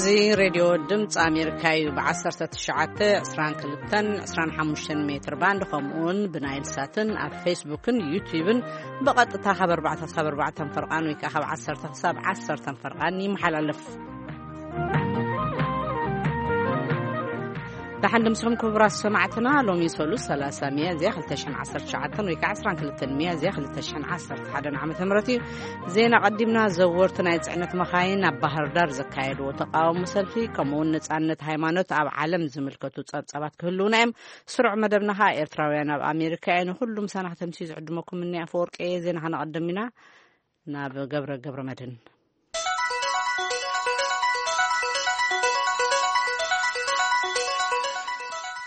እዚ ሬድዮ ድምፂ ኣሜሪካ እዩ። ብ19፣ 22፣ 25 ሜትር ባንድ፣ ከምኡውን ብናይል ሳትን ኣብ ፌስቡክን ዩቲዩብን ብቐጥታ ካብ ኣርባዕተ ክሳብ ኣርባዕተ ፈርቓን ወይ ከዓ ካብ ዓሰርተ ክሳብ ዓሰርተ ፈርቓን ይመሓላለፍ። ደሓን ድምስኹም ክቡራት ሰማዕትና። ሎሚ ሰሉስ ሰላሳ ሚያዝያ ክልተ ሽሕን ዓሰርተ ትሽዓተን ወይ ከዓ ዓሰርተ ክልተ ሚያዝያ ክልተ ሽሕን ዓሰርተ ሓደን ዓመተ ምህረት እዩ። ዜና ቀዲምና። ዘወርቲ ናይ ጽዕነት መኻይን ኣብ ባህር ዳር ዘካየድዎ ተቃውሞ ሰልፊ፣ ከምኡውን ነጻነት ሃይማኖት ኣብ ዓለም ዝምልከቱ ጸብጻባት ክህልውና እዮም። ስሩዕ መደብና ኸኣ ኤርትራውያን ኣብ ኣሜሪካ እዮም። ንኹሉም ሰናሕተምሲ ዝዕድመኩም እኒ ኣፈወርቂ እየ። ዜና ከነቐድም ኢና። ናብ ገብረ ገብረ መድህን።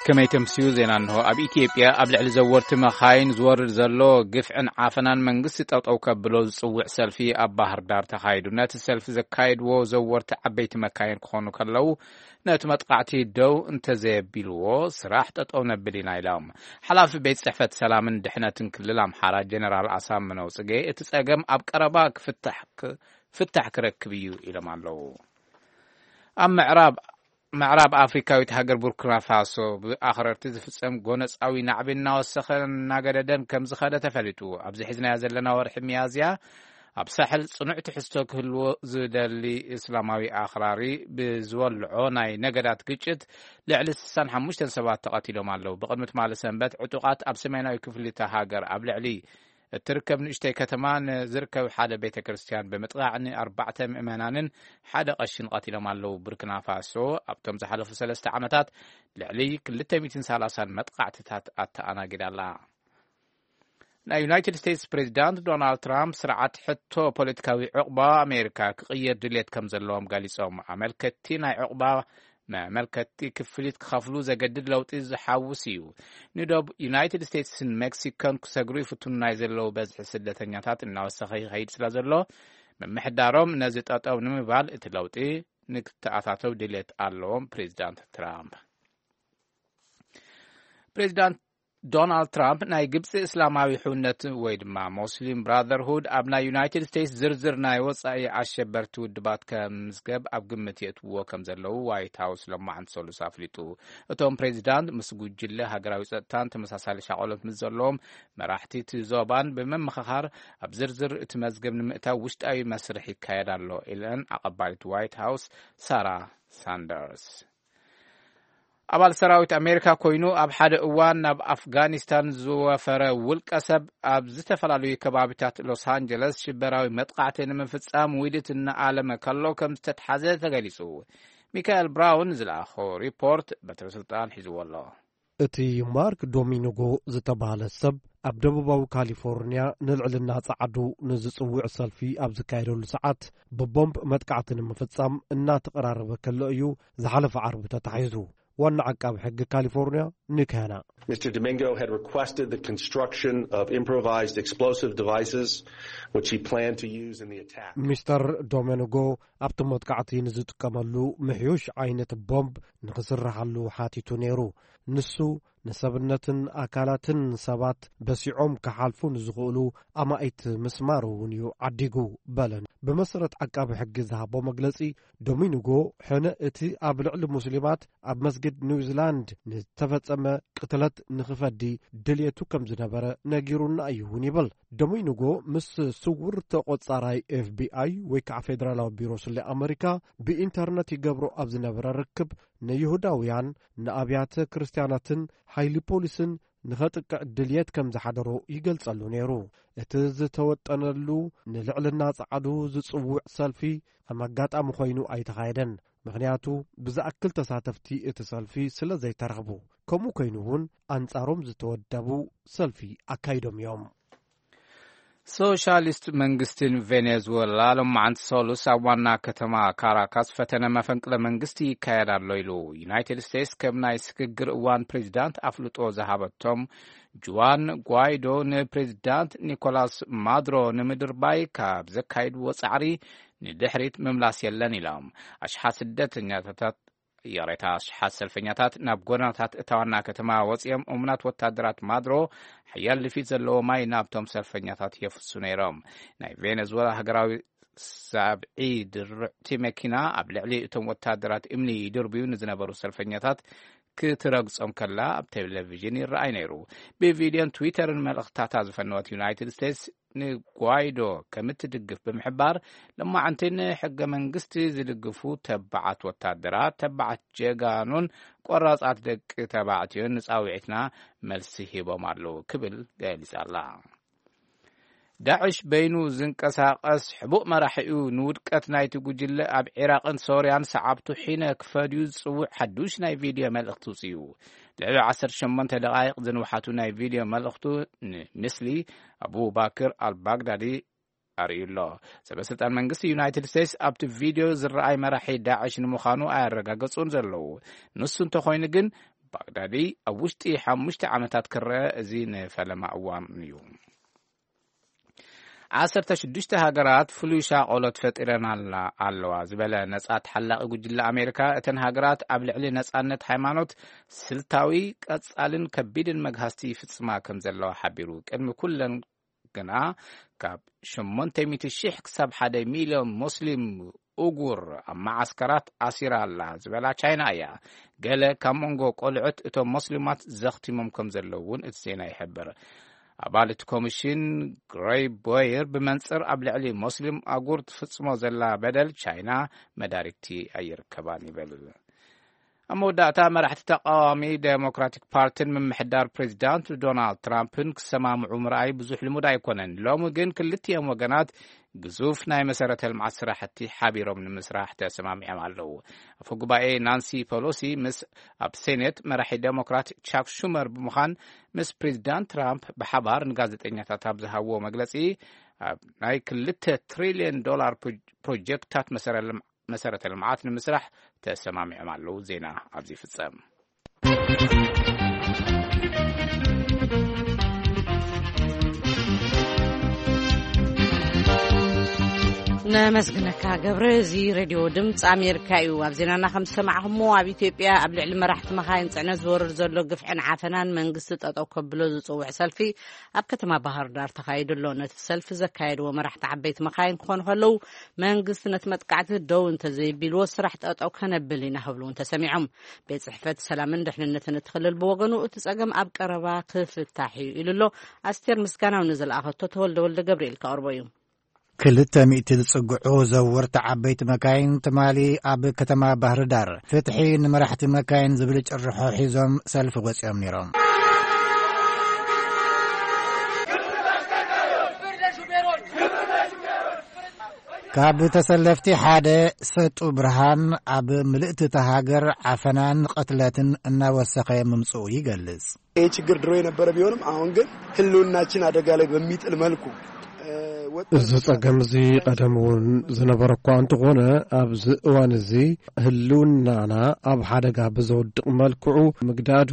ከመይ ተምስዩ ዜና እንሆ። ኣብ ኢትዮጵያ ኣብ ልዕሊ ዘወርቲ መኻይን ዝወርድ ዘሎ ግፍዕን ዓፈናን መንግስቲ ጠጠው ከብሎ ዝጽውዕ ሰልፊ ኣብ ባህር ዳር ተኻይዱ። ነቲ ሰልፊ ዘካየድዎ ዘወርቲ ዓበይቲ መካይን ክኾኑ ከለዉ፣ ነቲ መጥቃዕቲ ደው እንተዘየቢልዎ ስራሕ ጠጠው ነብል ኢና ኢሎም። ሓላፊ ቤት ጽሕፈት ሰላምን ድሕነትን ክልል ኣምሓራ ጀነራል ኣሳምነው ጽጌ፣ እቲ ጸገም ኣብ ቀረባ ክፍታሕ ክ-፣ ፍታሕ ክረክብ እዩ ኢሎም ኣለዉ። ኣብ ምዕራብ፣ ምዕራብ ኣፍሪካዊት ሃገር ቡርኪና ፋሶ ብኣኽረርቲ ዝፍጸም ጎነጻዊ ናዕቢ እናወሰኸን እናገደደን ከም ዝኸደ ተፈሊጡ። ኣብዚ ሒዝናዮ ዘለና ወርሒ ሚያዝያ ኣብ ሳሕል ጽኑዕ ትሕዝቶ ክህልዎ ዝደሊ እስላማዊ ኣኽራሪ ብዝወልዖ ናይ ነገዳት ግጭት ልዕሊ ስሳን ሓሙሽተን ሰባት ተቐቲሎም ኣለዉ። ብቕድሚ ትማሊ ሰንበት ዕጡቓት ኣብ ሰሜናዊ ክፍሊ እታ ሃገር ኣብ ልዕሊ እትርከብ ንእሽተይ ከተማ ንዝርከብ ሓደ ቤተ ክርስቲያን ብምጥቃዕ ንኣርባዕተ ምእመናንን ሓደ ቀሽን ቀቲሎም ኣለዉ። ቡርኪና ፋሶ ኣብቶም ዝሓለፉ ሰለስተ ዓመታት ልዕሊ ክልተ ሚእትን ሰላሳን መጥቃዕትታት ኣተኣናጊዳ ኣላ። ናይ ዩናይትድ ስቴትስ ፕሬዚዳንት ዶናልድ ትራምፕ ስርዓት ሕቶ ፖለቲካዊ ዕቑባ ኣሜሪካ ክቕየር ድልየት ከም ዘለዎም ገሊጾም። ኣመልከትቲ ናይ ዕቑባ መመልከትቲ ክፍሊት ክኸፍሉ ዘገድድ ለውጢ ዝሓውስ እዩ። ንዶብ ዩናይትድ ስቴትስን ሜክሲኮን ክሰግሩ ይፍትኑ ናይ ዘለዉ በዝሒ ስደተኛታት እናወሰኸ ይኸይድ ስለ ዘሎ፣ ምምሕዳሮም ነዚ ጠጠው ንምባል እቲ ለውጢ ንክተኣታተው ድልየት ኣለዎም። ፕሬዚዳንት ትራምፕ ፕሬዚዳንት ዶናልድ ትራምፕ ናይ ግብፂ እስላማዊ ሕውነት ወይ ድማ ሞስሊም ብራዘርሁድ ኣብ ናይ ዩናይትድ ስቴትስ ዝርዝር ናይ ወፃኢ ኣሸበርቲ ውድባት ከምዝገብ ኣብ ግምት የእትውዎ ከም ዘለዉ ዋይት ሃውስ ሎማዓንቲ ሰሉስ ኣፍሊጡ። እቶም ፕሬዚዳንት ምስ ጉጅለ ሃገራዊ ጸጥታን ተመሳሳሊ ሻቆሎት ምስ ዘለዎም መራሕቲ እቲ ዞባን ብምምኽኻር ኣብ ዝርዝር እቲ መዝገብ ንምእታው ውሽጣዊ መስርሕ ይካየድ ኣሎ ኢለን ኣቐባሊት ዋይት ሃውስ ሳራ ሳንደርስ። ኣባል ሰራዊት ኣሜሪካ ኮይኑ ኣብ ሓደ እዋን ናብ ኣፍጋኒስታን ዝወፈረ ውልቀ ሰብ ኣብ ዝተፈላለዩ ከባቢታት ሎስ ኣንጀለስ ሽበራዊ መጥቃዕቲ ንምፍጻም ውዲት እናኣለመ ከሎ ከም ዝተትሓዘ ተገሊጹ። ሚካኤል ብራውን ዝለኣኾ ሪፖርት በትሪ ስልጣን ሒዝዎ ኣሎ። እቲ ማርክ ዶሚኒጎ ዝተባህለ ሰብ ኣብ ደቡባዊ ካሊፎርኒያ ንልዕልና ጸዓዱ ንዝጽውዕ ሰልፊ ኣብ ዝካየደሉ ሰዓት ብቦምብ መጥቃዕቲ ንምፍጻም እናተቐራረበ ከሎ እዩ ዝሓለፈ ዓርቢ ተታሒዙ። ዋና ዓቃቢ ሕጊ ካሊፎርኒያ ኒክ ሃና። Mister Domingo had requested the construction of improvised explosive devices, which he planned to use in the attack. ሚስተር ዶሚኒጎ ኣብቲ መጥቃዕቲ ንዝጥቀመሉ ምሕዩሽ ዓይነት ቦምብ ንኽስርሓሉ ሓቲቱ ነይሩ። ንሱ ንሰብነትን ኣካላትን ሰባት በሲዖም ክሓልፉ ንዝኽእሉ ኣማኢት ምስማር እውን እዩ ዓዲጉ በለን። ብመሰረት ዓቃቢ ሕጊ ዝሃቦ መግለጺ፣ ዶሚኒጎ ሕነ እቲ ኣብ ልዕሊ ሙስሊማት ኣብ መስጊድ ኒውዚላንድ ንዝተፈጸመ ቅትለት ንኽፈዲ ድልየቱ ከም ዝነበረ ነጊሩና እዩ እውን ይብል። ዶሚኒጎ ምስ ስውር ተቖጻራይ ኤፍ ቢ ኣይ ወይ ከዓ ፌደራላዊ ቢሮ ስለ ኣመሪካ ብኢንተርነት ይገብሮ ኣብ ዝነበረ ርክብ ንይሁዳውያን፣ ንኣብያተ ክርስትያናትን ሓይሊ ፖሊስን ንኸጥቅዕ ድልየት ከም ዝሓደሮ ይገልጸሉ ነይሩ። እቲ ዝተወጠነሉ ንልዕልና ጸዓዱ ዝጽውዕ ሰልፊ ከም ኣጋጣሚ ኮይኑ ኣይተኻየደን። ምኽንያቱ ብዝኣክል ተሳተፍቲ እቲ ሰልፊ ስለ ዘይተረኽቡ፣ ከምኡ ኮይኑ እውን ኣንጻሮም ዝተወደቡ ሰልፊ ኣካይዶም እዮም። ሶሻሊስት መንግስትን ቬኔዙዌላ ሎማዓንቲ ሰሉስ ኣብ ዋና ከተማ ካራካስ ፈተነ መፈንቅለ መንግስቲ ይካየድ ኣሎ ኢሉ። ዩናይትድ ስቴትስ ከም ናይ ስግግር እዋን ፕሬዚዳንት ኣፍልጦ ዝሃበቶም ጁዋን ጓይዶ ንፕሬዚዳንት ኒኮላስ ማዱሮ ንምድርባይ ካብ ዘካይድዎ ጻዕሪ ንድሕሪት ምምላስ የለን ኢሎም። ኣሽሓት ስደተኛታት፣ ይቕሬታ፣ ኣሽሓት ሰልፈኛታት ናብ ጎደናታት እታ ዋና ከተማ ወጺኦም እሙናት ወታደራት ማዱሮ ሓያል ልፊት ዘለዎ ማይ ናብቶም ሰልፈኛታት የፍሱ ነይሮም። ናይ ቬኔዙዌላ ሃገራዊ ሰብዒ ድርዕቲ መኪና ኣብ ልዕሊ እቶም ወታደራት እምኒ ይድርብዩ ንዝነበሩ ሰልፈኛታት ክትረግጾም ከላ ኣብ ቴሌቪዥን ይረኣይ ነይሩ። ብቪድዮን ትዊተርን መልእኽታታ ዝፈነወት ዩናይትድ ስቴትስ ንጓይዶ ከም እትድግፍ ብምሕባር፣ ለማዓንቲ ንሕገ መንግስቲ ዝድግፉ ተባዓት ወታደራት፣ ተባዓት ጀጋኑን ቆራጻት ደቂ ተባዕትዮን ንጻውዒትና መልሲ ሂቦም ኣለዉ ክብል ገሊጻ ኣላ። ዳዕሽ በይኑ ዝንቀሳቐስ ሕቡእ መራሒኡ ንውድቀት ናይቲ ጉጅለ ኣብ ዒራቕን ሶርያን ሰዓብቱ ሒነ ክፈድዩ ዝጽውዕ ሓዱሽ ናይ ቪድዮ መልእኽቲ ውጽኡ። ልዕሊ ዓሰርተ ሸሞንተ ደቓይቕ ዝንውሓቱ ናይ ቪድዮ መልእኽቱ ንምስሊ ኣቡባክር ኣልባግዳዲ ኣርእዩ ኣሎ። ሰበ ስልጣን መንግስቲ ዩናይትድ ስቴትስ ኣብቲ ቪድዮ ዝረኣይ መራሒ ዳዕሽ ንምዃኑ ኣያረጋገጹን ዘለዉ። ንሱ እንተኾይኑ ግን፣ ባግዳዲ ኣብ ውሽጢ ሓሙሽተ ዓመታት ክረአ፣ እዚ ንፈለማ እዋን እዩ። ዓሰርተ ሽዱሽተ ሃገራት ፍሉይ ሻቆሎት ፈጢረን ኣላ-፣ ኣለዋ ዝበለ ነጻ ተሓላቒ ጉጅለ ኣሜሪካ፣ እተን ሃገራት ኣብ ልዕሊ ነጻነት ሃይማኖት ስልታዊ፣ ቀጻልን ከቢድን መግሃስቲ ይፍጽማ ከም ዘለዋ ሓቢሩ። ቅድሚ ኩለን ግና ካብ ሸሞንተ ሚእቲ ሺሕ ክሳብ ሓደ ሚልዮን ሙስሊም ኡጉር ኣብ መዓስከራት ኣሲራ ኣላ ዝበላ ቻይና እያ። ገለ ካብ መንጎ ቆልዑት እቶም ሙስሊማት ዘኽቲሞም ከም ዘለዉ እውን እቲ ዜና ይሕብር። ኣባል እቲ ኮሚሽን ግሬይ ቦየር ብመንጽር ኣብ ልዕሊ ሙስሊም ኣጉር ትፍጽሞ ዘላ በደል ቻይና መዳርግቲ ኣይርከባን ይብል። ኣብ መወዳእታ መራሕቲ ተቃዋሚ ዴሞክራቲክ ፓርቲን ምምሕዳር ፕሬዚዳንት ዶናልድ ትራምፕን ክሰማምዑ ምርኣይ ብዙሕ ልሙድ ኣይኮነን። ሎሚ ግን ክልቲኦም ወገናት ግዙፍ ናይ መሰረተ ልምዓት ስራሕቲ ሓቢሮም ንምስራሕ ተሰማሚዖም ኣለዉ። ኣፈ ጉባኤ ናንሲ ፐሎሲ ምስ ኣብ ሴኔት መራሒ ዴሞክራት ቻክ ሹመር ብምዃን ምስ ፕሬዚዳንት ትራምፕ ብሓባር ንጋዜጠኛታት ኣብ ዝሃብዎ መግለጺ፣ ኣብ ናይ ክልተ ትሪልዮን ዶላር ፕሮ-፣ ፕሮጀክታት መሰረ ልም-፣ መሰረተ ልምዓት ንምስራሕ ተሰማሚዖም ኣለዉ። ዜና ኣብዚ ይፍጸም። ነመስግነካ ገብረ። እዚ ሬድዮ ድምፂ ኣሜሪካ እዩ። ኣብ ዜናና ከም ዝሰማዕኹሞ፣ ኣብ ኢትዮጵያ ኣብ ልዕሊ መራሕቲ መኻይን ፅዕነት ዝወርድ ዘሎ ግፍዕን ዓፈናን መንግስቲ ጠጠው ከብሎ ዝፅውዕ ሰልፊ ኣብ ከተማ ባህር ዳር ተኻይዱ ኣሎ። ነቲ ሰልፊ ዘካየድዎ መራሕቲ ዓበይቲ መኻይን ክኾኑ ከለዉ፣ መንግስቲ ነቲ መጥቃዕቲ ደው እንተዘይቢልዎ፣ ስራሕ ጠጠው ከነብል ኢና ክብሉ እውን ተሰሚዖም። ቤት ጽሕፈት ሰላምን ድሕንነትን እቲ ክልል ብወገኑ፣ እቲ ጸገም ኣብ ቀረባ ክፍታሕ እዩ ኢሉ ኣሎ። ኣስቴር ምስጋናው ንዝለኣኸቶ ተወልደ ወልደ ገብርኤል ከቕርቦ እዩ። ክልተ ሚእቲ ዝጽግዑ ዘወርቲ ዓበይቲ መካይን ትማሊ ኣብ ከተማ ባህር ዳር ፍትሒ ንመራሕቲ መካይን ዝብል ጭርሖ ሒዞም ሰልፊ ወጺኦም ነይሮም። ካብ ተሰለፍቲ ሓደ ሰጡ ብርሃን፣ ኣብ ምልእቲ እታ ሃገር ዓፈናን ቅትለትን እናወሰኸ ምምጽኡ ይገልጽ። ይህ ችግር ድሮ የነበረ ቢሆንም አሁን ግን ህልውናችን አደጋ ላይ በሚጥል መልኩ፣ እ፣ ወጣት እዚ ጸገም እዚ ቀደም እውን ዝነበረ እኳ እንተኾነ፣ ኣብዚ እዋን እዚ ህልውናና ኣብ ሓደጋ ብዘውድቕ መልክዑ ምግዳዱ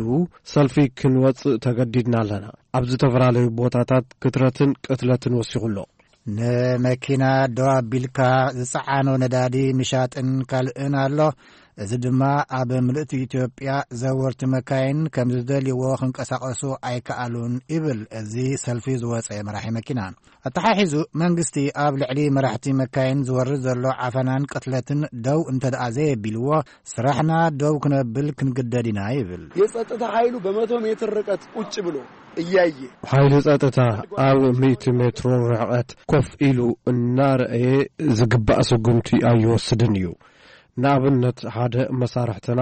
ሰልፊ ክንወጽእ ተገዲድና ኣለና። ኣብ ዝተፈላለዩ ቦታታት ክትረትን ቅትለትን ወሲኹ ኣሎ። ንመኪና ደው ኣቢልካ ዝጸዓኖ ነዳዲ ምሻጥን ካልእን ኣሎ። እዚ ድማ ኣብ ምልእቲ ኢትዮጵያ ዘወርቲ መካይን ከም ዝደልይዎ ክንቀሳቐሱ ኣይከኣሉን ይብል እዚ ሰልፊ ዝወጸ መራሒ መኪና። ኣተሓሒዙ መንግስቲ ኣብ ልዕሊ መራሕቲ መካይን ዝወርድ ዘሎ ዓፈናን ቅትለትን ደው እንተ ደኣ ዘየቢልዎ፣ ስራሕና ደው ክነብል ክንግደድ ኢና ይብል። የጸጥታ ኃይሉ በመቶ ሜትር ርቀት ቁጭ ብሎ እያየ ሓይሊ ጸጥታ ኣብ ሚእቲ ሜትሮ ርሕቀት ኮፍ ኢሉ እናረኣየ ዝግባእ ስጉምቲ ኣይወስድን እዩ። ንኣብነት፣ ሓደ መሳርሕትና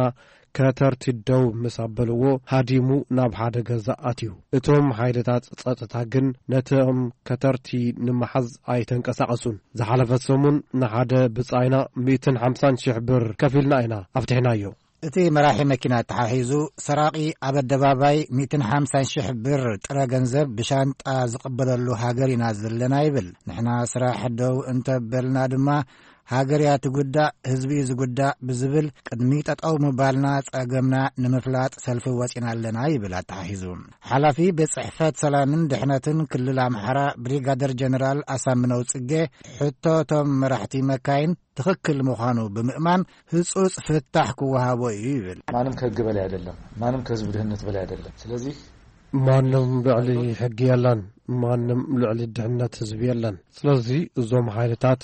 ከተርቲ ደው ምስ ኣበልዎ፣ ሃዲሙ ናብ ሓደ ገዛ ኣትዩ። እቶም ሓይልታት ጸጥታ ግን ነቶም ከተርቲ ንምሓዝ ኣይተንቀሳቐሱን። ዝሓለፈ ሰሙን ንሓደ ብጻይና ሚእትን ሓምሳን ሽሕ ብር ከፊልና ኢና ኣፍቲሕናዮ። እቲ መራሒ መኪና ተሓሒዙ፣ ሰራቒ ኣብ ኣደባባይ ሚእትን ሓምሳን ሽሕ ብር ጥረ ገንዘብ ብሻንጣ ዝቕበለሉ ሃገር ኢና ዘለና ይብል። ንሕና ስራሕ ደው እንተበልና ድማ፣ ሃገር እያ ትጉዳእ፣ ህዝቢ እዩ ዝጉዳእ ብዝብል፣ ቅድሚ ጠጠው ምባልና ጸገምና ንምፍላጥ ሰልፊ ወጺና ኣለና ይብል ኣተሓሒዙ። ሓላፊ ቤት ጽሕፈት ሰላምን ድሕነትን ክልል ኣምሓራ ብሪጋደር ጀነራል ኣሳምነው ጽጌ፣ ሕቶ እቶም መራሕቲ መካይን ትኽክል ምዃኑ ብምእማን፣ ህጹጽ ፍታሕ ክወሃቦ እዩ ይብል። ማንም ከህግ በላይ አይደለም። ማንም ከህዝብ ድህነት በላይ አይደለም። ስለዚህ ማንም ልዕሊ ሕጊ የለን። ማንም ልዕሊ ድሕነት ህዝቢ የለን። ስለዚ እዞም ሓይልታት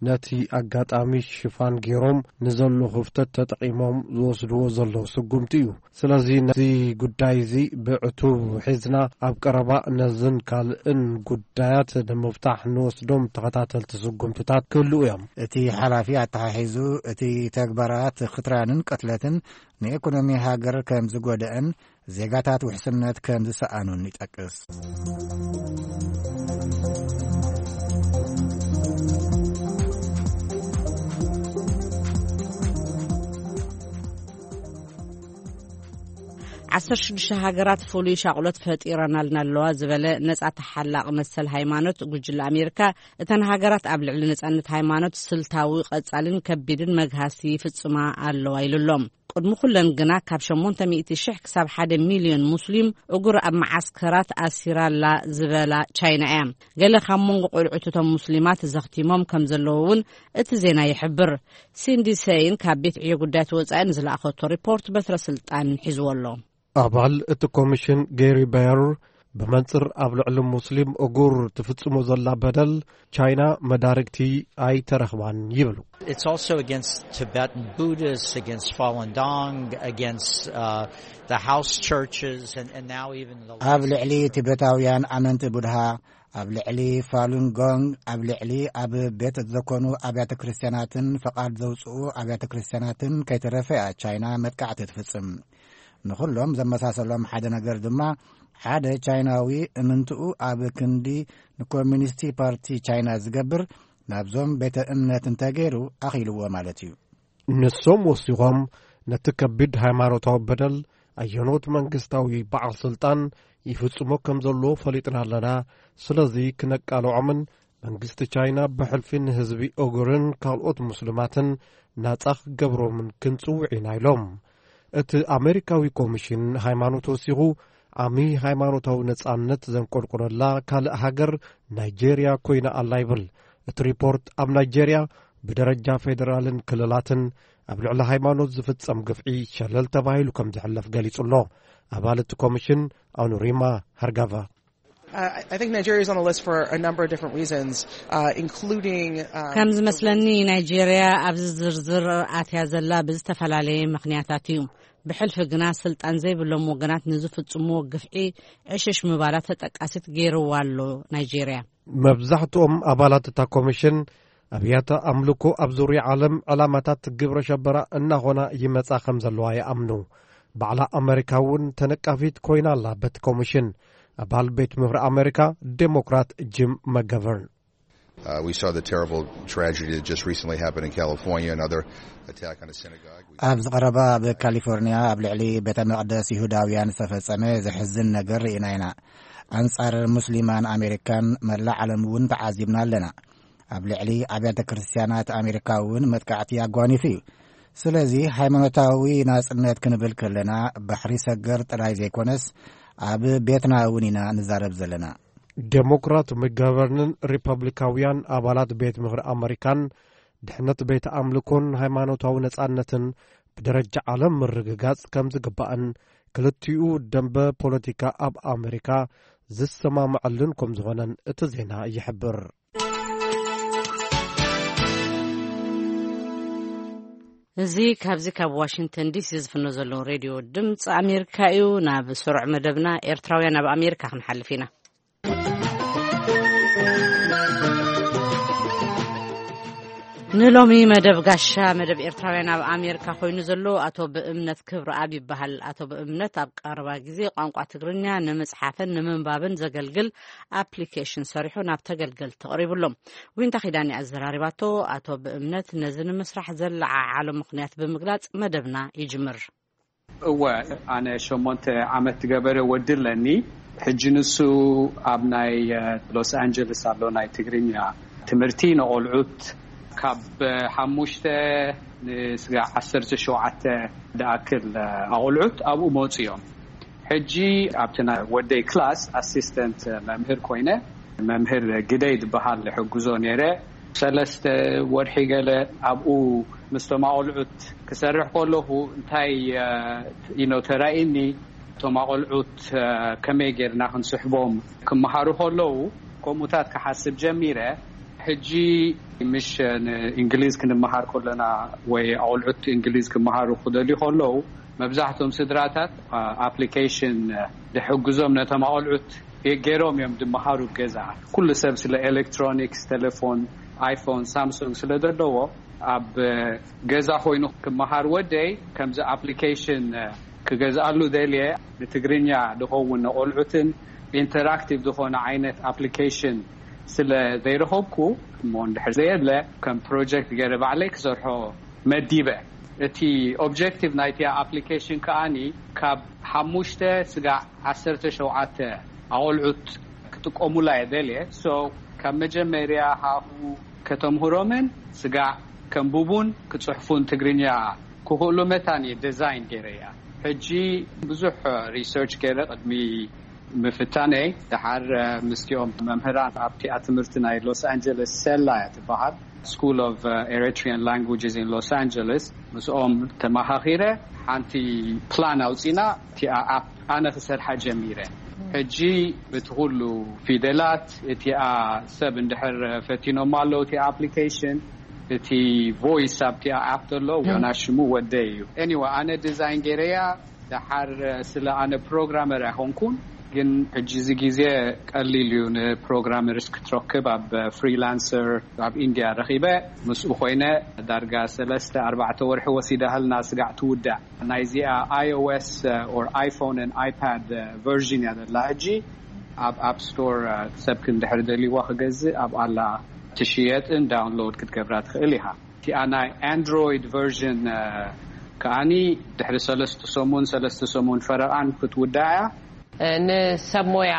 ነቲ ኣጋጣሚ ሽፋን ገይሮም ንዘሎ ክፍተት ተጠቒሞም ዝወስድዎ ዘለዉ ስጉምቲ እዩ። ስለዚ ነዚ ጉዳይ እዚ ብዕቱብ ሒዝና ኣብ ቀረባ ነዝን ካልእን ጉዳያት ንምፍታሕ ንወስዶም ተኸታተልቲ ስጉምትታት ክህልዉ እዮም። እቲ ሓላፊ ኣተሓሒዙ፣ እቲ ተግባራት ክትራንን ቅትለትን ንኢኮኖሚ ሃገር ከም ዝጎደአን ዜጋታት ውሕስነት ከም ዝሰኣኑን ይጠቅስ። ዓሰርተ ሽዱሽተ ሃገራት ፍሉይ ሻቕሎት ፈጢረናልና ኣለዋ ዝበለ ነጻ ተሓላቕ መሰል ሃይማኖት ጉጅለ ኣሜሪካ፣ እተን ሃገራት ኣብ ልዕሊ ነጻነት ሃይማኖት ስልታዊ፣ ቀጻልን ከቢድን መግሃስቲ ይፍጽማ ኣለዋ ኢሉ ኣሎ። ቅድሚ ኩለን ግና ካብ ሸሞንተ ሚእቲ ሽሕ ክሳብ ሓደ ሚልዮን ሙስሊም እጉር ኣብ መዓስከራት ኣሲራ ኣላ ዝበላ ቻይና እያ። ገለ ካብ መንጎ ቆልዑት እቶም ሙስሊማት ዘኽቲሞም ከም ዘለዉ እውን እቲ ዜና ይሕብር። ሲንዲ ሰይን ካብ ቤት ዕዮ ጉዳያት ወጻኢ ንዝለኣኸቶ ሪፖርት በትረ ስልጣን ሒዝዎ ኣሎ። ኣባል እቲ ኮሚሽን ጌሪ በየር ብመንጽር ኣብ ልዕሊ ሙስሊም እጉር ትፍጽሞ ዘላ በደል ቻይና መዳርግቲ ኣይተረኽባን ይብሉ። It's also against Tibetan Buddhists, against Falun Gong, against uh, the house churches, and, and now even the ኣብ ልዕሊ ቲቤታውያን ኣመንቲ ቡድሃ፣ ኣብ ልዕሊ ፋሉን ጎንግ፣ ኣብ ልዕሊ ኣብ ቤት ዘኮኑ ኣብያተ ክርስቲያናትን ፈቓድ ዘውፅኡ ኣብያተ ክርስቲያናትን ከይተረፈ እያ ቻይና መጥቃዕቲ ትፍጽም። ንኹሎም ዘመሳሰሎም ሓደ ነገር ድማ፣ ሓደ ቻይናዊ እምንትኡ ኣብ ክንዲ ንኮሚኒስቲ ፓርቲ ቻይና ዝገብር ናብዞም ቤተ እምነት እንተገይሩ ኣኺልዎ ማለት እዩ። ንሶም ወሲኾም፣ ነቲ ከቢድ ሃይማኖታዊ በደል ኣየኖት መንግስታዊ በዓል ስልጣን ይፍጽሞ ከም ዘለዎ ፈሊጥና ኣለና። ስለዚ ክነቃልዖምን መንግስቲ ቻይና ብሕልፊ ንህዝቢ ኦጉርን ካልኦት ሙስሊማትን ናጻ ክገብሮምን ክንጽውዕ ኢና ኢሎም። እቲ ኣሜሪካዊ ኮሚሽን ሃይማኖት ወሲኹ፣ ዓሚ ሃይማኖታዊ ነጻነት ዘንቆልቆለላ ካልእ ሃገር ናይጄርያ ኮይና ኣላ ይብል። እቲ ሪፖርት ኣብ ናይጄርያ ብደረጃ ፌደራልን ክልላትን ኣብ ልዕሊ ሃይማኖት ዝፍጸም ግፍዒ ሸለል ተባሂሉ ከም ዝሕለፍ ገሊጹ ኣሎ። ኣባል እቲ ኮሚሽን ኣኑሪማ ሃርጋቫ። Uh, I I think Nigeria is on the list for a number of different reasons, uh, including. Um, ከም ዝመስለኒ ናይጄርያ ኣብዚ ዝርዝር ኣትያ ዘላ ብዝተፈላለየ ምኽንያታት እዩ። ብሕልፊ ግና ስልጣን ዘይብሎም ወገናት ንዝፍጽምዎ ግፍዒ ዕሽሽ ምባላ ተጠቃሲት ገይርዋ ኣሎ ናይጄርያ። መብዛሕትኦም ኣባላት እታ ኮሚሽን ኣብያተ ኣምልኮ ኣብ ዙርያ ዓለም ዕላማታት ግብረ ሸበራ እናኾና ይመጻ ከም ዘለዋ ይኣምኑ። ባዕላ ኣመሪካ እውን ተነቃፊት ኮይና ኣላ። በቲ ኮሚሽን ኣባል ቤት ምኽሪ ኣመሪካ ዴሞክራት ጂም መገቨርን። Uh, we saw the terrible tragedy that just recently happened in California, another attack on a synagogue. We ኣብ ዝቐረባ ኣብ ካሊፎርኒያ ኣብ ልዕሊ ቤተ መቕደስ ይሁዳውያን ዝተፈጸመ ዘሕዝን ነገር ርኢና ኢና። ኣንጻር ሙስሊማን ኣሜሪካን መላእ ዓለም እውን ተዓዚብና ኣለና። ኣብ ልዕሊ ኣብያተ ክርስቲያናት ኣሜሪካ እውን መጥቃዕቲ ኣጓኒፉ እዩ። ስለዚ ሃይማኖታዊ ናጽነት ክንብል ከለና ባሕሪ ሰገር ጥራይ ዘይኮነስ ኣብ ቤትና እውን ኢና ንዛረብ ዘለና። ዴሞክራት መጋበርንን ሪፐብሊካውያን ኣባላት ቤት ምኽሪ ኣመሪካን ድሕነት ቤት ኣምልኮን ሃይማኖታዊ ነጻነትን ብደረጃ ዓለም ምርግጋጽ ከም ዝግባእን ክልቲኡ ደንበ ፖለቲካ ኣብ ኣመሪካ ዝሰማምዐሉን ከም ዝኾነን እቲ ዜና ይሕብር። እዚ ካብዚ ካብ ዋሽንግተን ዲሲ ዝፍኖ ዘሎ ሬድዮ ድምፂ ኣሜሪካ እዩ። ናብ ስሩዕ መደብና ኤርትራውያን ኣብ ኣሜሪካ ክንሓልፍ ኢና። ንሎሚ መደብ ጋሻ መደብ ኤርትራውያን ኣብ ኣሜሪካ ኮይኑ ዘሎ ኣቶ ብእምነት ክብረኣብ ይበሃል። ኣቶ ብእምነት ኣብ ቀረባ ግዜ ቋንቋ ትግርኛ ንምጽሓፍን ንምንባብን ዘገልግል ኣፕሊኬሽን ሰሪሑ ናብ ተገልገልቲ ኣቕሪቡ ኣሎ። ዊንታ ኪዳነ ኣዘራሪባቶ። ኣቶ ብእምነት ነዚ ንምስራሕ ዘለዓዓሎ ምኽንያት ብምግላጽ መደብና ይጅምር። እወ፣ ኣነ ሸሞንተ ዓመት ዝገበረ ወዲ ኣለኒ። ሕጂ ንሱ ኣብ ናይ ሎስ ኣንጀለስ ኣሎ ናይ ትግርኛ ትምህርቲ ንቆልዑት ካብ ሓሙሽተ ንስጋ ዓሰርተ ሸውዓተ ዝኣክል ኣቆልዑት ኣብኡ መፁ እዮም። ሕጂ ኣብቲ ናይ ወደይ ክላስ ኣሲስተንት መምህር ኮይነ፣ መምህር ግደይ ዝበሃል ሕግዞ ነይረ። ሰለስተ ወርሒ ገለ ኣብኡ ምስቶም ኣቆልዑት ክሰርሕ ከለኹ እንታይ ዩ ኖ ተራእኒ፣ እቶም ኣቆልዑት ከመይ ጌርና ክንስሕቦም ክመሃሩ ከለዉ ከምኡታት ክሓስብ ጀሚረ። ሕጂ ምሽ ንእንግሊዝ ክንመሃር ከለና ወይ ኣቑልዑት እንግሊዝ ክመሃሩ ክደልዩ ከለዉ፣ መብዛሕቶም ስድራታት ኣፕሊኬሽን ድሕግዞም ነቶም ኣቑልዑት ገይሮም እዮም ድመሃሩ ገዛ። ኩሉ ሰብ ስለ ኤሌክትሮኒክስ፣ ቴሌፎን፣ ኣይፎን፣ ሳምሶንግ ስለ ዘለዎ፣ ኣብ ገዛ ኮይኑ ክመሃር ወደይ ከምዚ ኣፕሊኬሽን ክገዝኣሉ ደልየ፣ ንትግርኛ ድኸውን ንቆልዑትን ኢንተራክቲቭ ዝኾነ ዓይነት ኣፕሊኬሽን ስለ ዘይረኸብኩ፣ እሞ እንድሕር ዘየለ ከም ፕሮጀክት ገይረ ባዕለይ ክሰርሖ መዲበ። እቲ ኦብጀክቲቭ ናይቲ ኣፕሊኬሽን ከኣኒ ካብ ሓሙሽተ ስጋዕ ዓሰርተ ሸውዓተ ኣቆልዑት ክጥቀሙላ እየ ደልየ። So ካብ መጀመርያ ሃሁ ከተምህሮምን ስጋዕ ከንብቡን ክጽሕፉን ትግርኛ ክኽእሉ መታን እየ ዲዛይን ገይረያ። ሕጂ ብዙሕ ሪሰርች ገይረ ቅድሚ ምፍታነይ፣ ደሓር ምስቲኦም መምህራን ኣብቲ ትምህርቲ ናይ ሎስ ኣንጀለስ፣ ሴላ እያ ትበሃል፣ School of Eritrean Languages in Los Angeles፣ ምስኦም ተመኻኺረ ሓንቲ ፕላን ኣውፂና፣ እቲኣ ኣፕ ኣነ ክሰርሓ ጀሚረ። ሕጂ እቲ ኩሉ ፊደላት፣ እቲኣ ሰብ እንድሕር ፈቲኖም ኣለዉ፣ እቲ ኣፕሊኬሽን፣ እቲ ቮይስ ኣብቲ ኣፕ ዘሎ ዮናስ ሽሙ ወደይ እዩ። ኤኒወ ኣነ ዲዛይን ገይረያ። ደሓር ስለ ኣነ ፕሮግራመር ኣይኮንኩን፣ ግን ሕጂ እዚ ግዜ ቀሊል እዩ ንፕሮግራመርስ ክትረክብ። ኣብ ፍሪላንሰር ኣብ ኢንድያ ረኺበ፣ ምስኡ ኮይነ ዳርጋ ሰለስተ ኣርባዕተ ወርሒ ወሲዳሃልና ስጋዕ ትውዳእ። ናይዚኣ iOS or iPhone and iPad ቨርዥን እያ ዘላ ሕጂ። ኣብ ኣፕ ስቶር ሰብ ክንድሕር ደልይዋ ክገዝእ ኣብ ኣላ ትሽየጥን ዳውንሎድ ክትገብራ ትኽእል ኢኻ። እቲኣ ናይ ኣንድሮይድ ቨርዥን ከኣኒ ድሕሪ ሰለስተ ሰሙን፣ ሰለስተ ሰሙን ፈረቓን ክትውዳእ እያ። ንሰብ ሞያ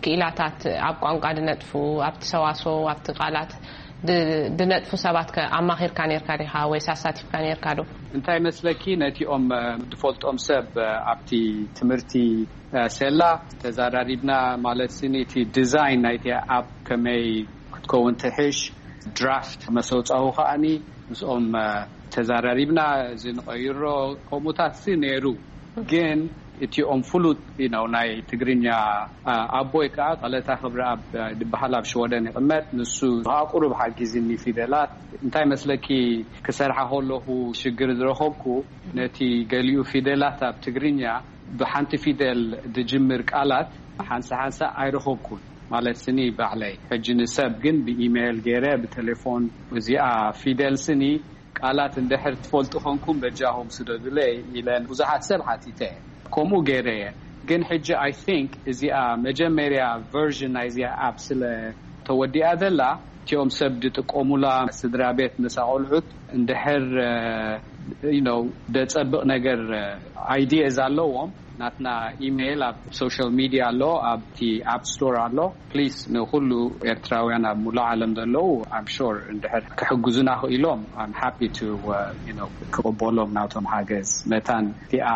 ክኢላታት ኣብ ቋንቋ ድነጥፉ፣ ኣብቲ ሰዋስው፣ ኣብቲ ቃላት ድነጥፉ ሰባት ኣማኺርካ ነርካ ዲኻ ወይስ ኣሳቲፍካ ነርካ ዶ? እንታይ መስለኪ፣ ነቲኦም ድፈልጦም ሰብ ኣብቲ ትምህርቲ ሴላ ተዛራሪብና፣ ማለት ስኒ እቲ ዲዛይን ናይቲ ኣፕ ከመይ ክትከውን ትሕሽ ድራፍት መሰውፃዊ ከኣኒ ምስኦም ተዛራሪብና። እዚ ንቐይሮ ከምኡታት ሲ ነይሩ፣ ግን እቲኦም ፍሉጥ ነው ናይ ትግርኛ ኣቦይ ከዓ ቀለታ ክብረኣብ ድበሃል ኣብ ሽወደን ይቕመጥ። ንሱ ከዓ ቁሩብ ሓጊዝኒ ፊደላት። እንታይ መስለኪ፣ ክሰርሓ ከለኹ ሽግር ዝረኸብኩ፣ ነቲ ገሊኡ ፊደላት ኣብ ትግርኛ ብሓንቲ ፊደል ድጅምር ቃላት ሓንሳ ሓንሳ ኣይረኸብኩን፣ ማለት ስኒ ባዕለይ። ሕጂ ንሰብ ግን ብኢሜይል ገይረ ብቴሌፎን፣ እዚኣ ፊደል ስኒ ቃላት እንድሕር ትፈልጡ ኮንኩም በጃኹም ስደዱለይ ኢለን ብዙሓት ሰብ ሓቲተ። ከምኡ ገይረ እየ። ግን ሕጂ ኣይ ቲንክ እዚኣ መጀመርያ ቨርዥን ናይ እዚኣ ኣፕ ስለ ተወዲኣ ዘላ፣ እቲኦም ሰብ ድጥቀሙላ ስድራ ቤት መሳቆልዑት እንድሕር ደጸብቕ ነገር ኣይዲየዝ ኣለዎም፣ ናትና ኢሜይል ኣብ ሶሻል ሚድያ ኣሎ፣ ኣብቲ ኣፕ ስቶር ኣሎ። ፕሊስ ንኩሉ ኤርትራውያን ኣብ ሙሉእ ዓለም ዘለዉ ኣም ሹር እንድሕር ክሕግዙና ክኢሎም ኣም ሃፒ ቱ ክቕበሎም ናቶም ሓገዝ። መታን እቲኣ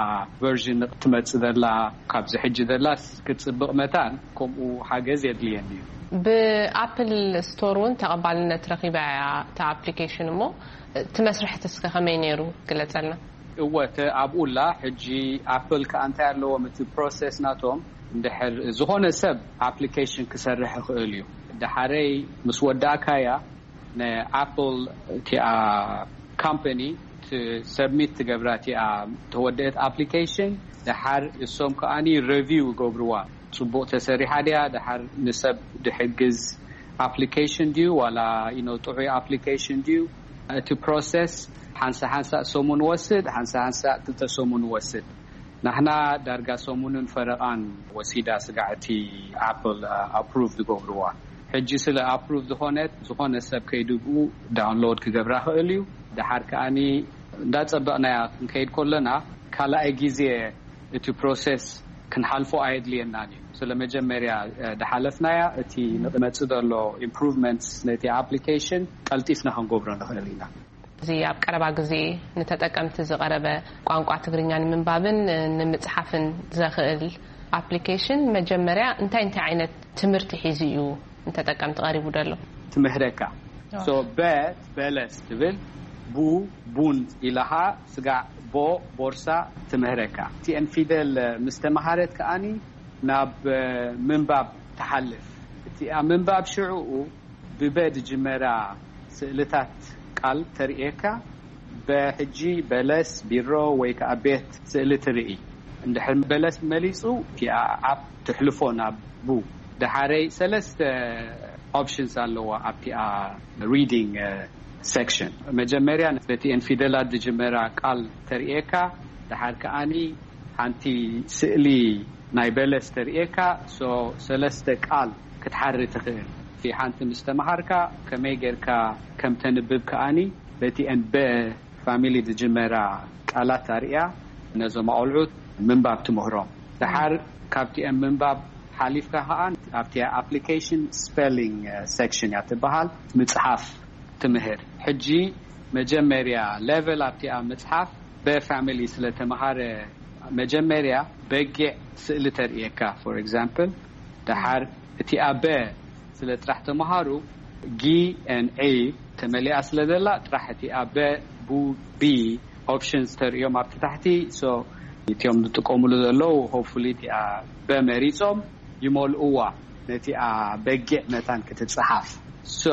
ቨርዥን ክትመጽእ ዘላ ካብዚ ሕጂ ዘላስ ክትጽብቕ መታን ከምኡ ሓገዝ የድልየኒ እዩ። ብኣፕል ስቶር እውን ተቐባልነት ረኺባ እያ እታ ኣፕሊኬሽን። እሞ እቲ መስርሕቲ እስከ ከመይ ነይሩ ግለጸልና። እወ፣ ኣብኡላ ሕጂ ኣፕል ከኣ እንታይ ኣለዎም፣ እቲ ፕሮሰስ ናቶም እንድሕር ዝኾነ ሰብ ኣፕሊኬሽን ክሰርሕ ይኽእል እዩ። ደሓረይ ምስ ወዳእካያ ንኣፕል እቲኣ ካምፓኒ ሰብሚት ትገብራ፣ እቲኣ ተወደአት ኣፕሊኬሽን። ደሓር እሶም ከኣኒ ሬቪው ይገብርዋ፣ ጽቡቕ ተሰሪሓ ድያ፣ ደሓር ንሰብ ድሕግዝ ኣፕሊኬሽን ድዩ ዋላ ኢኖ ጥዑይ ኣፕሊኬሽን ድዩ። እቲ ፕሮሰስ ሓንሳ ሓንሳ ሰሙን ወስድ፣ ሓንሳ ሓንሳ ክልተ ሰሙን ወስድ። ናሕና ዳርጋ ሰሙንን ፈረቓን ወሲዳ ስጋዕቲ ኣፕል ኣፕሩቭ ዝገብርዋ። ሕጂ ስለ ኣፕሩቭ ዝኾነት፣ ዝኾነ ሰብ ከይድብኡ ዳውንሎድ ክገብራ ክእል እዩ። ደሓር ከኣኒ እንዳጸበቕናያ ክንከይድ ከለና ካልኣይ ግዜ እቲ ፕሮሰስ ክንሓልፎ ኣየድልየናን እዩ። ስለ መጀመርያ ድሓለፍናያ፣ እቲ ንመጽእ ዘሎ ኢምፕሩቭመንትስ ነቲ ኣፕሊኬሽን ቀልጢፍና ክንገብሮ ንኽእል ኢና። እዚ ኣብ ቀረባ ግዜ ንተጠቀምቲ ዝቐረበ ቋንቋ ትግርኛ ንምንባብን ንምጽሓፍን ዘኽእል ኣፕሊኬሽን መጀመርያ እንታይ እንታይ ዓይነት ትምህርቲ ሒዙ እዩ ንተጠቀምቲ ቀሪቡ ዘሎ? ትምህረካ። ሶ በ በለስ ትብል፣ ቡ ቡን ኢላኻ ስጋዕ፣ ቦ ቦርሳ ትምህረካ። እቲኤን ፊደል ምስ ተመሃረት ከኣኒ ናብ ምንባብ ትሓልፍ። እቲኣ ምንባብ ሽዕኡ ብበ ዝጅመራ ስእልታት ቃል ተርእየካ። በሕጂ በለስ፣ ቢሮ ወይ ከዓ ቤት ስእሊ ትርኢ። እንድሕር በለስ መሊፁ፣ እቲኣ ኣብ ትሕልፎ ናብ ቡ። ደሓረይ ሰለስተ ኦፕሽንስ ኣለዋ ኣብቲኣ ሪዲንግ ሴክሽን። መጀመርያ በቲኤን ፊደላት ዝጅመራ ቃል ተርእየካ። ደሓር ከዓኒ ሓንቲ ስእሊ ናይ በለስ ተርእየካ። ሶ ሰለስተ ቃል ክትሓሪ ትኽእል። እቲ ሓንቲ ምስ ተምሃርካ ከመይ ጌርካ ከም ተንብብ ከኣኒ በቲኤን በ ፋሚሊ ዝጅመራ ቃላት ኣርእያ ነዞም ኣቆልዑት ምንባብ ትምህሮም። ደሓር ካብቲኤን ምንባብ ሓሊፍካ ከኣ ኣብቲ ኣፕሊኬሽን ስፔሊንግ ሴክሽን እያ ትበሃል ምጽሓፍ ትምህር። ሕጂ መጀመርያ ሌቨል ኣብቲኣ ምጽሓፍ በፋሚሊ ስለ ተምሃረ መጀመርያ በጊዕ ስእሊ ተርእየካ። ፎር ኤግዛምፕል፣ ደሓር እቲኣ በ ስለ ጥራሕ ተምሃሩ ጊ ኤን ኤ ተመሊኣ ስለ ዘላ ጥራሕ እቲኣ በ ቡ ቢ ኦፕሽንስ ተርእዮም ኣብቲ ታሕቲ። ሶ እቲኦም ዝጥቀሙሉ ዘለዉ ሆፕፉሊ እቲኣ በ መሪጾም ይመልእዋ ነቲኣ በጊዕ መታን ክትጽሓፍ። ሶ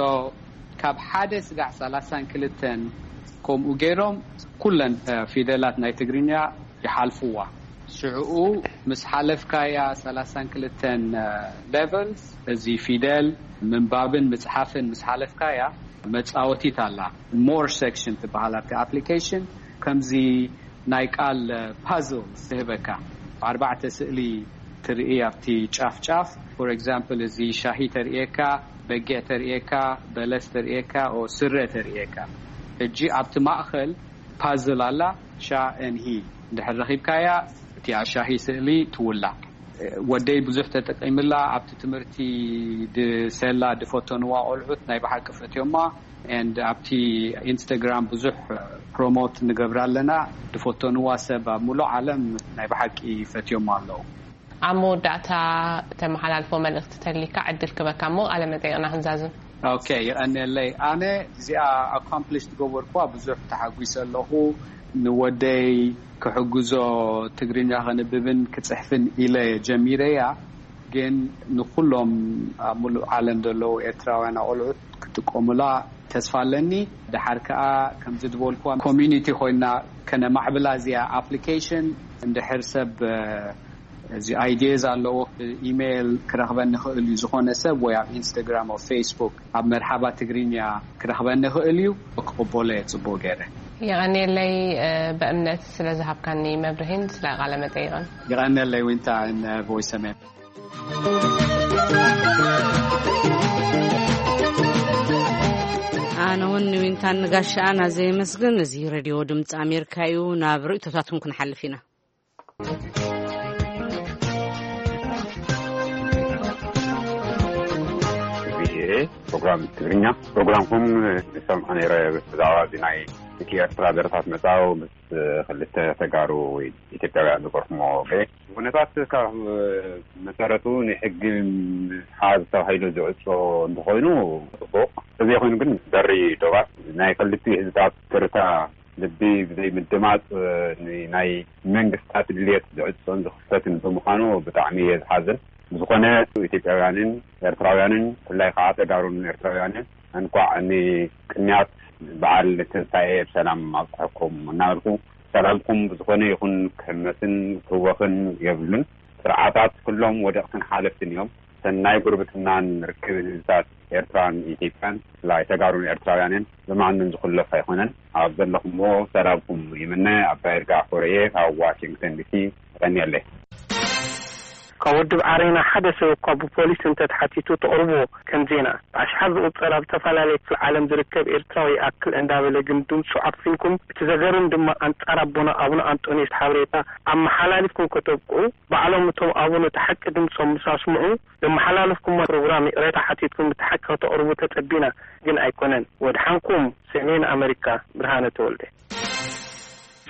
ካብ ሓደ ስጋዕ ሰላሳን ክልተን ከምኡ ገይሮም ኩለን ፊደላት ናይ ትግርኛ ይሓልፍዋ። ሽዕኡ ምስ ሓለፍካያ ሰላሳን ክልተን ሌቨልስ እዚ ፊደል ምንባብን ምጽሓፍን ምስ ሓለፍካያ መጻወቲት ኣላ። ሞር ሴክሽን ትበሃል ኣብቲ ኣፕሊኬሽን። ከምዚ ናይ ቃል ፓዝል ትህበካ። ኣርባዕተ ስእሊ ትርኢ ኣብቲ ጫፍ ጫፍ። ፎር ኤግዛምፕል፣ እዚ ሻሂ ተርእየካ፣ በጊዕ ተርእየካ፣ በለስ ተርእየካ፣ ኦ ስረ ተርእየካ። ሕጂ ኣብቲ ማእኸል ፓዝል ኣላ፣ ሻ ኤን ሂ። እንድሕር ረኺብካያ እቲኣ ሻሂ ስእሊ ትውላ። ወደይ ብዙሕ ተጠቂምላ። ኣብቲ ትምህርቲ ድሰላ ድፈተንዋ ቆልዑት ናይ ብሓቂ ፈትዮማ። ኤንድ ኣብቲ ኢንስታግራም ብዙሕ ፕሮሞት ንገብራ ኣለና። ድፈተንዋ ሰብ ኣብ ሙሉእ ዓለም ናይ ብሓቂ ፈትዮማ ኣለዉ። ኣብ መወዳእታ ተመሓላልፎ መልእኽቲ ተልካ ዕድል ክበካ እሞ ቃለ መጠይቕና ክንዛዝም። ኦኬ፣ ይቐንየለይ። ኣነ እዚኣ ኣኮምፕሊሽ ዝገበርኩዋ ብዙሕ ተሓጒሰ ኣለኹ። ንወደይ ክሕግዞ ትግርኛ ከንብብን ክጽሕፍን ኢለ ጀሚረያ። ግን ንኩሎም ኣብ ሙሉእ ዓለም ዘለዉ ኤርትራውያን ኣቆልዑት ክጥቀሙላ ተስፋ ኣለኒ። ደሓር ከኣ ከምዚ ዝበልኩዋ ኮሚኒቲ ኮይና ከነማዕብላ እዚኣ ኣፕሊኬሽን። እንድሕር ሰብ እዚ ኣይዲየዝ ኣለዎ፣ ኢሜይል ክረኽበኒ ይኽእል እዩ። ዝኾነ ሰብ ወይ ኣብ ኢንስታግራም፣ ኣብ ፌስቡክ፣ ኣብ መርሓባ ትግርኛ ክረኽበኒ ይኽእል እዩ። ክቕበሎ እየ ጽቡቕ ገይረ። የቐንየለይ፣ እ፣ በእምነት ስለ ዝሃብካኒ መብርሂን ስለ ቃለ መጠይቕን። የቐንየለይ ዊንታ፣ ን ቮይስ ኣሜሪካ። ኣነ እውን ንዊንታን ንጋሻኣን ኣዘ የመስግን። እዚ ሬድዮ ድምፂ ኣሜሪካ እዩ። ናብ ርእይቶታትኩም ክንሓልፍ ኢና። ቪኦኤ ፕሮግራም ትግርኛ፣ ፕሮግራምኩም ዝሰምዖ ነይረ። ብዛዕባ እዚ ናይ ደቂ ኤርትራ ደረታት መጻው ምስ ክልተ ተጋሩ ወይ ኢትዮጵያውያን ዝገርፍሞ ገ-፣ ኩነታት ካብ መሰረቱ ንሕጊ ምሓዝ ተባሂሉ ዝዕጾ እንተኾይኑ ጽቡቕ። እዚ ኮይኑ ግን በሪ ዶባት ናይ ክልቲኡ ህዝብታት ትርታ ልቢ ብዘይ ምድማጽ፣ እ፣ ን-፣ ናይ መንግስታት ድልየት ዝዕጾን ዝኽፈትን ብምዃኑ ብጣዕሚ እየ ዝሓዝን። ብዝኾነ ኢትዮጵያውያንን ኤርትራውያንን ብፍላይ ከዓ ተጋሩን ኤርትራውያንን እንኳዕ ንቅንያት በዓል ትንሳኤ ብሰላም ኣብጽሐኩም እናበልኩ፣ ሰላምኩም ብዝኾነ ይኹን ክህመስን ክህወኽን የብሉን። ስርዓታት ኩሎም ወደቕትን ሓለፍትን እዮም። ሰናይ ጉርብትናን ርክብን ህዝብታት ኤርትራን ኢትዮጵያን፣ ብፍላይ ተጋሩን ኤርትራውያንን ብማንም ዝኹለፍ ኣይኮነን። ኣብ ዘለኹምዎ ሰላምኩም ይምነ። ኣባይ ይርጋ ኮረየ ካብ ዋሽንግተን ዲሲ። የቐንየለይ። ካብ ውድብ ዓረና ሓደ ሰብ እኳ ብፖሊስ እንተተሓቲቱ ተቕርብዎ ከም ዜና፣ ብኣሽሓት ዝቑጸር ኣብ ዝተፈላለየ ክፍለ ዓለም ዝርከብ ኤርትራዊ ይኣክል እንዳበለ ግን ድምጹ ዓፊንኩም፣ እቲ ዘገርም ድማ ኣንጻር ኣቦና ኣቡነ ኣንጦንዮስ ሓበሬታ ኣመሓላሊፍኩም ከተብቅዑ፣ ባዕሎም እቶም ኣቡነ እቲ ሓቂ ድምጾም ምስ ኣስምዑ፣ ዘመሓላለፍኩሞ ፕሮግራም ይቕሬታ ሓቲትኩም እቲ ሓቂ ከተቕርቡ ተጸቢና፣ ግን ኣይኮነን። ወድሓንኩም። ሰሜን ኣመሪካ፣ ብርሃነ ተወልደ።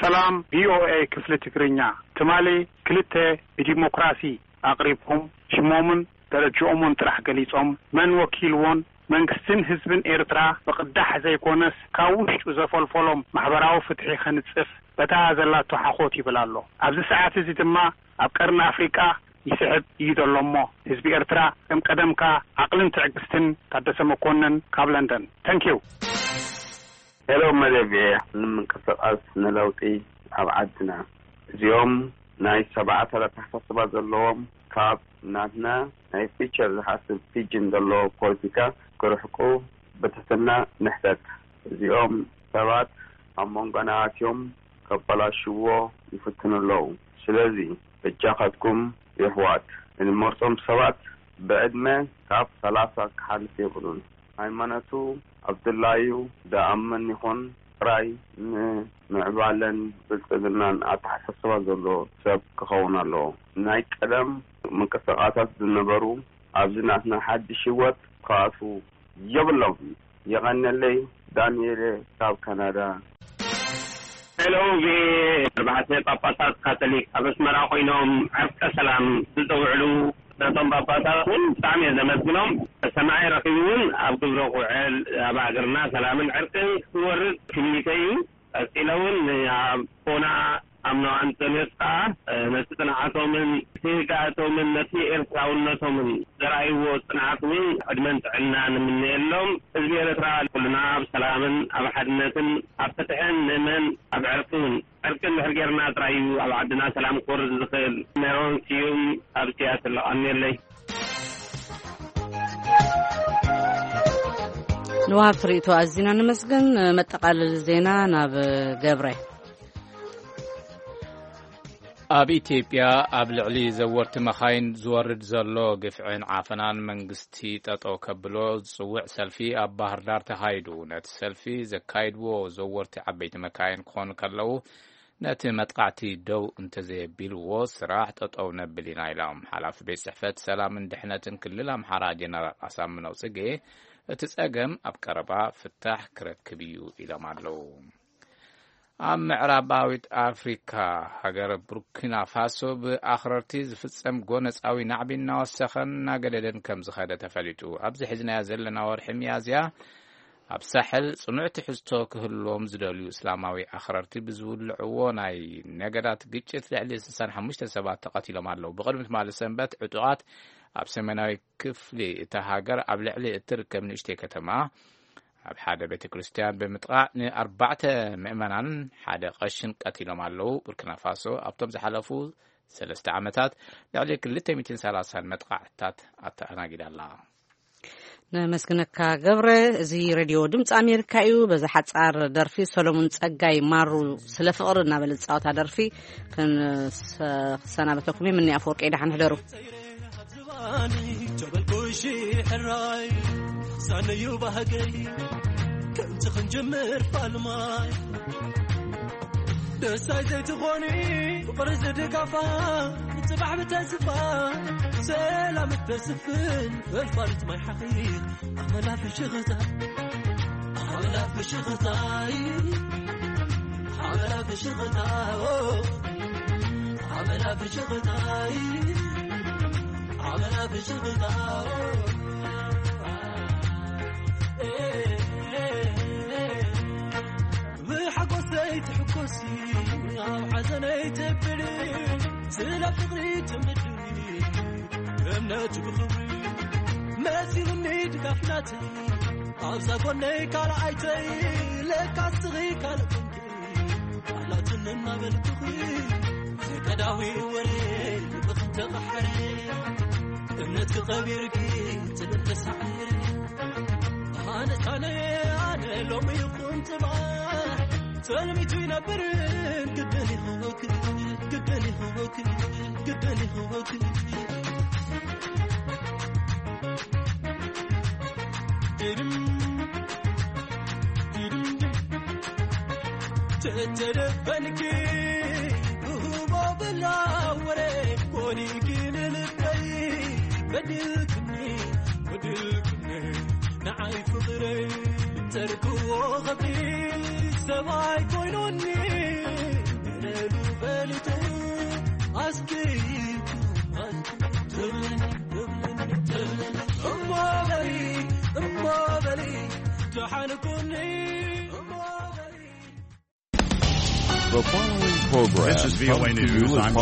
ሰላም ቪኦኤ ክፍሊ ትግርኛ። ትማሊ ክልተ ብዲሞክራሲ ኣቕሪብኩም ሽሞምን ደረጅኦምን ጥራሕ ገሊጾም መን ወኪልዎን መንግስትን ህዝብን ኤርትራ ብቕዳሕ ዘይኮነስ ካብ ውሽጡ ዘፈልፈሎም ማሕበራዊ ፍትሒ ከንጽፍ በታ ዘላቶ ሓኾት ይብል ኣሎ። ኣብዚ ሰዓት እዚ ድማ ኣብ ቀርኒ ኣፍሪቃ ይስዕብ እዩ ዘሎ እሞ፣ ህዝቢ ኤርትራ ከም ቀደምካ ዓቕልን ትዕግስትን። ታደሰ መኮንን ካብ ለንደን። Thank you። ሄሎ መደብ፣ ንምንቅስቓስ ንለውጢ ኣብ ዓድና፣ እዚኦም ናይ ሰብዓታት ኣተሓሳስባ ዘለዎም፣ ካብ ናትና ናይ ፊቸር ዝሓስብ ፊጅን ዘለዎ ፖለቲካ ክርሕቁ ብትሕትና ንሕተት። እዚኦም ሰባት ኣብ መንጎና ኣትዮም ከበላሽዎ ይፍትኑ ኣለዉ። ስለዚ በጃኻትኩም የሕዋት፣ እንመርጾም ሰባት ብዕድመ ካብ ሰላሳ ክሓልፍ የብሉን። ሃይማኖቱ ኣብ ድላዩ ደኣምን ይኹን ጥራይ ንምዕባለን ብልጽግናን ኣተሓሳስባ ዘለዎ ሰብ ክኸውን ኣለዎ። ናይ ቀደም ምንቅስቓሳት ዝነበሩ ኣብዚ ናትና ሓድሽ ህይወት ክኣትዉ የብሎም። የቐነለይ ዳንኤል ካብ ካናዳ። ሄሎ፣ ቪኦኤ። ኣርባዕተ ጳጳሳት ካቶሊክ ኣብ ኣስመራ ኮይኖም ዕርቀ ሰላም ዝጸውዕሉ ነቶም ጳጳሳት እውን ብጣዕሚ እየ ዘመስግኖም። ሰማዒ ረኺቡ እውን ኣብ ግብረ ክውዕል ኣብ ሃገርና ሰላምን ዕርቅን ክወርድ ትምኒተይ እዩ። ቀጺለ እውን ኣቦና ኣምኖ ኣንጠንዮስ ከኣ ነቲ ጽንዓቶምን ትህጋእቶምን ነቲ ኤርትራውነቶምን ዘርኣይዎ ጽንዓት እውን ዕድመን ጥዕናን ንምነየሎም። ህዝቢ ኤርትራ ኩልና ኣብ ሰላምን ኣብ ሓድነትን ኣብ ፍትሕን ንእመን፣ ኣብ ዕርቅን። ዕርቂ እንድሕር ጌርና ጥራይ እዩ ኣብ ዓድና ሰላም ክወርድ ዝኽእል። ሜሮን ስዩም ካብ ሲያትል። ኣሜለይ። ንወሃብቲ ርእይቶ ኣዚና ነመስግን። መጠቓለሊ ዜና ናብ ገብረ። ኣብ ኢትዮጵያ ኣብ ልዕሊ ዘወርቲ መኻይን ዝወርድ ዘሎ ግፍዕን ዓፈናን መንግስቲ ጠጠው ከብሎ ዝጽውዕ ሰልፊ ኣብ ባህር ዳር ተኻይዱ። ነቲ ሰልፊ ዘካይድዎ ዘወርቲ ዓበይቲ መካይን ክኾኑ ከለዉ፣ ነቲ መጥቃዕቲ ደው እንተዘየቢልዎ ስራሕ ጠጠው ነብል ኢና ኢሎም። ሓላፊ ቤት ጽሕፈት ሰላምን ድሕነትን ክልል ኣምሓራ ጀነራል ኣሳምነው ጽጌ፣ እቲ ጸገም ኣብ ቀረባ ፍታሕ ክረክብ እዩ ኢሎም ኣለዉ። ኣብ ምዕራባዊት ኣፍሪካ ሃገር ቡርኪና ፋሶ ብኣኽረርቲ ዝፍጸም ጎነጻዊ ናዕቢ እናወሰኸን እናገደደን ከም ዝኸደ ተፈሊጡ። ኣብዚ ሒዝናዮ ዘለና ወርሒ ሚያዝያ ኣብ ሳሕል ጽኑዕ ትሕዝቶ ክህልዎም ዝደልዩ እስላማዊ ኣኽረርቲ ብዝውልዕዎ ናይ ነገዳት ግጭት ልዕሊ ስሳን ሓሙሽተ ሰባት ተቐቲሎም ኣለዉ። ብቕድሚ ትማሊ ሰንበት ዕጡቓት ኣብ ሰሜናዊ ክፍሊ እታ ሃገር ኣብ ልዕሊ እትርከብ ንእሽተይ ከተማ ኣብ ሓደ ቤተ ክርስቲያን ብምጥቓዕ ንኣርባዕተ ምእመናን ሓደ ቀሽን ቀቲሎም ኣለዉ። ቡርኪና ፋሶ ኣብቶም ዝሓለፉ ሰለስተ ዓመታት ልዕሊ ክልተ ሚእትን ሰላሳን መጥቓዕትታት ኣተኣናጊዳ ኣላ። ነመስግነካ ገብረ። እዚ ሬድዮ ድምፂ ኣሜሪካ እዩ። በዛ ሓፃር ደርፊ ሰሎሙን ፀጋይ ማሩ ስለ ፍቕሪ እናበለ ዝፃወታ ደርፊ ክንሰ-፣ ክሰናበተኩም እየ። ምኒ ኣፈወርቂ፣ ደሓን ሕደሩ። ዝባኒ ጀበልኩሺ ሕራይ ሳነዩ ባህገይ ከምቲ ክንጅምር ፋልማይ ደሳይ ዘይትኾኒ ፍቕሪ ዝድጋፋ ጽባሕ ብተስፋ ሰላም እተስፍን ፈልፋልት ማይ ሓኺ ኣመላ ፍሽኽታ ኣመላ ፍሽኽታይ ኣመላ ፍሽኽታ ኣመላ ፍሽኽታይ ኣመላ ፍሽኽታ ብሓጎሰይ ትሕኮሲ ኣብ ሓዘነይ ትብሊ ስለ ፍቕሪ ትምድሪ እምነት ብኽብሪ መሲሉኒ ድጋፍ ናተይ ኣብዛ ጎነይ ካልኣይተይ ለካ ስኺ ካልእ ኮንኪ ቃላትን እናበልኩኺ ፍቀዳዊ ወሬ ልብኽን ተቐሓረ እምነት ክቐቢርኪ ትብል ተሳዒረ ኣነ ኣነ ኣነ ሎሚ ይኹን ጽባሕ ተልሚቱ ይነብርን ግድን ይኽወክ ግድን ይኽወክ ግድን ይኽወክ ድድም ድድም ድም ተተደፈንኪ ብህቦ ብላ ወረ ኮኒኪ ንልበይ በድልክኒ በድልክኒ ንዓይ ፍቕረይ ተርክዎ ኸብዲ ሰብኣይ ኮይኑኒ ንለሉ ፈሊጡ ኣስኪ እሞ በሊ እሞ በሊ ደሓን ኩኒ እሞ በሊ The following program This is comes V O A to you News. As I'm part